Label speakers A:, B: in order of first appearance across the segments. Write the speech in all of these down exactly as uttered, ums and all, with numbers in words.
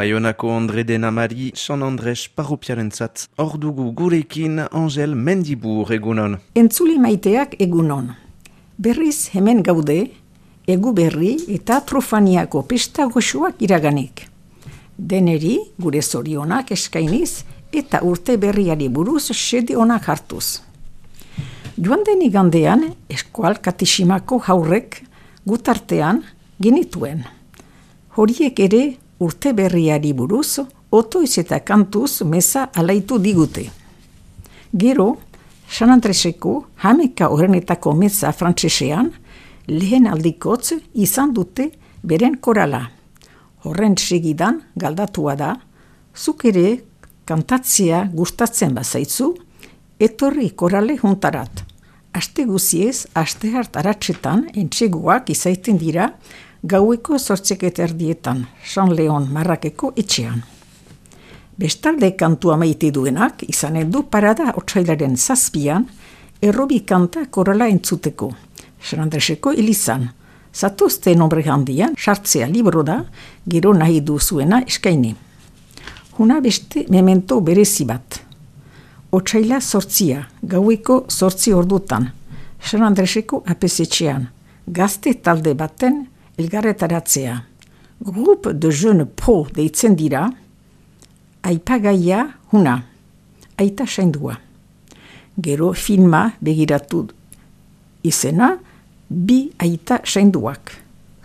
A: Baionako Andre Denamari, San Andres parropiarentzat. Hor dugu gurekin Angel Mendibur egunon.
B: Entzuli maiteak egunon. Berriz hemen gaude, egu berri eta trofaniako pesta goxoak iraganik. Deneri gure zorionak eskainiz eta urte berriari buruz sede onak hartuz. Joan den igandean eskual katiximako haurrek gutartean genituen. Horiek ere urte berriari buruz otoiz eta kantuz meza alaitu digute. Gero, San Andreseko hameka horrenetako meza frantsesean lehen aldikotz izan dute beren korala. Horren segidan galdatua da, zuk ere kantatzea gustatzen bazaitzu, etorri korale juntarat. Aste guziez, aste hart aratsetan entseguak izaiten dira gaueko zortzeket erdietan, San Leon Marrakeko etxean. Bestalde kantua maite duenak izanen du parada otsailaren zazpian errobi kanta korala entzuteko, San Andreseko elizan. Zatozte nombre handian, sartzea libro da, gero nahi duzuena eskaini. Huna beste memento berezi bat. Otsaila zortzia, gaueko zortzi ordutan, San Andreseko apesetxean, gazte talde baten elgarretaratzea. Groupe de Jeune Pro deitzen dira, aipagaia huna, aita saindua. Gero filma begiratu izena, bi aita sainduak.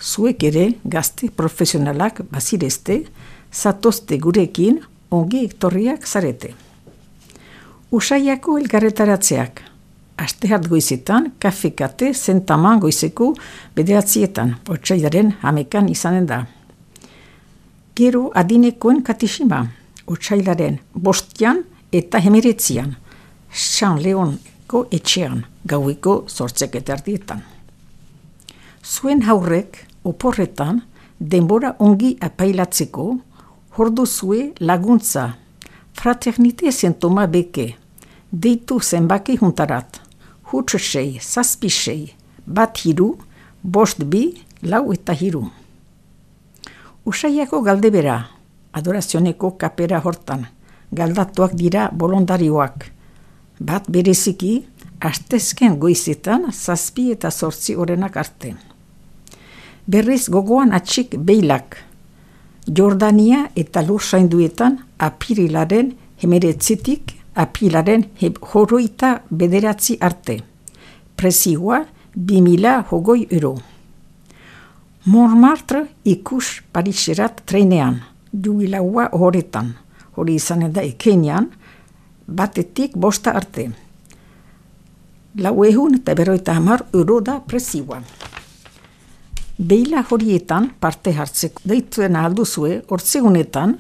B: Zuek ere gazte profesionalak bazirezte, zatozte gurekin ongi ektorriak zarete. Usaiako elgarretaratzeak. Aste hart goizetan, kafekate zentaman goizeko bederatzietan, otsailaren hamekan izanen da. Gero adinekoen katixima, otsailaren bostian eta hemeretzian, San Leonko etxean, gaueko zortzeket ardietan. Zuen haurrek, oporretan, denbora ongi apailatzeko, horduzue laguntza, fraternite zentoma beke, deitu zenbaki juntarat, huts sei, zazpi sei, bat hiru, bost bi, lau eta hiru. Usaiako galdebera, adorazioneko kapera hortan, galdatuak dira bolondarioak, bat bereziki, astezken goizetan zazpi eta zortzi orenak arte. Berriz gogoan atxik beilak, Jordania eta Lursainduetan apirilaren hemeretzitik apilaren horoita bederatzi arte. Prezioa bi mila hogoi euro. Montmartre ikus Pariserat trenean, jubilaua horretan, hori izanen da ekenian, batetik bosta arte. Lau ehun eta berroita hamar euro da prezioa. Beila horietan parte hartzeko deituen alduzue hortzegunetan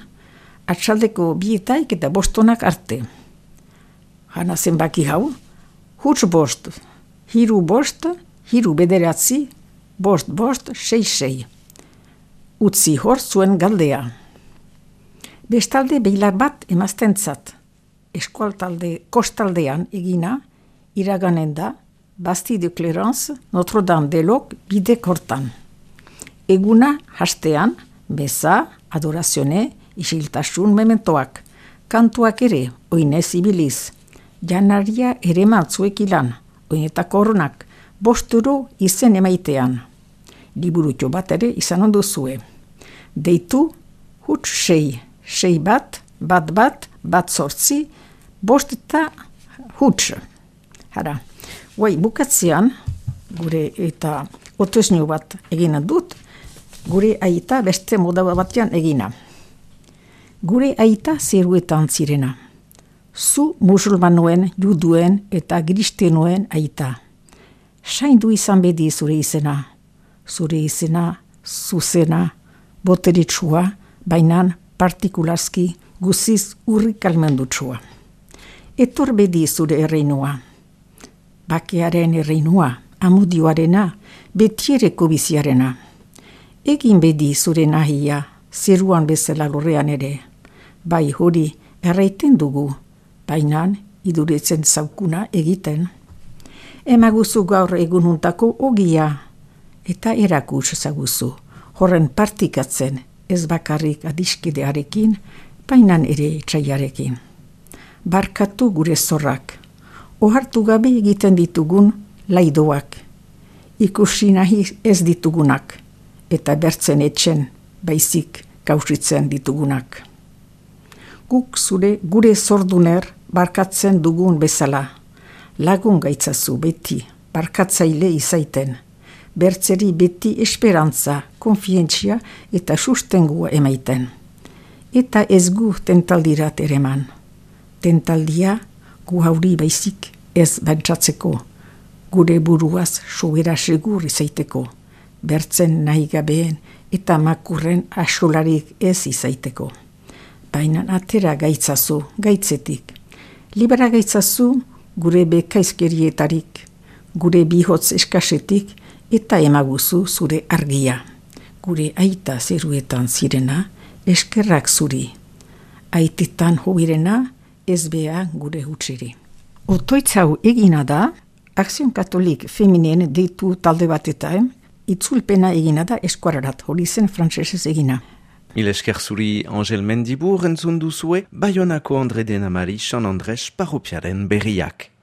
B: atxaldeko bietaik eta bostonak arte. Hana zenbaki hau, huts bost, hiru bost, hiru bederatzi, bost bost, sei sei. Utzi hor zuen galdea. Bestalde beilar bat emaztentzat, eskualtalde kostaldean egina, iraganen da, Bastille de Clarence, Notre-Dame-de-Lok bidek hortan. Eguna hastean, beza, adorazione, isiltasun mementoak, kantuak ere, oinez ibiliz, janaria ere mantzuek ilan, oinetako horrenak, bosturo izen emaitean. Liburutxo bat ere izan onduzue. Deitu, huts sei, sei bat, bat bat, bat zortzi, bost eta huts. Hara, guai bukatzean, gure eta otoesnio bat egina dut, gure aita beste moda batean egina. Gure aita zeruetan zirena. Zu musulmanoen, juduen eta kristenoen aita. Saindu izan bedi zure izena. Zure izena, zuzena, boteritsua, bainan partikularski guziz urrik almendutsua. Etor bedi zure erreinua. Bakearen erreinua, amodioarena, betiereko biziarena. Egin bedi zure nahia, zeruan bezala lorrean ere. Bai hori erraiten dugu, bainan iduretzen zaukuna egiten. Emaguzu gaur egununtako ogia, eta erakus zaguzu, horren partikatzen ez bakarrik adiskidearekin, bainan ere etxaiarekin. Barkatu gure zorrak, ohartu gabe egiten ditugun laidoak, ikusi nahi ez ditugunak, eta bertzen etxen baizik kausitzen ditugunak. Guk zure gure zorduner barkatzen dugun bezala, lagun gaitzazu beti, barkatzaile izaiten, bertzeri beti esperantza, konfientzia eta sustengua emaiten. Eta ez gu tentaldirat ereman. Tentaldia gu hauri baizik ez bantzatzeko, gure buruaz sobera segur izaiteko, bertzen nahi gabeen eta makurren asolarik ez izaiteko. Baina atera gaitzazu, gaitzetik. Libera gaitzazu gure bekaizkerietarik, gure bihotz eskasetik eta emaguzu zure argia. Gure aita zeruetan zirena, eskerrak zuri. Aitetan hoirena, ez bea gure hutsiri. Otoitzau egina da, Akzion Katolik Feminien deitu talde batetan, itzulpena egina da eskuararat, hori zen frantsesez egina.
A: Mil esker zuri Angel Mendibur entzun duzue, Baionako Andre Denamari San Andres parropiaren berriak.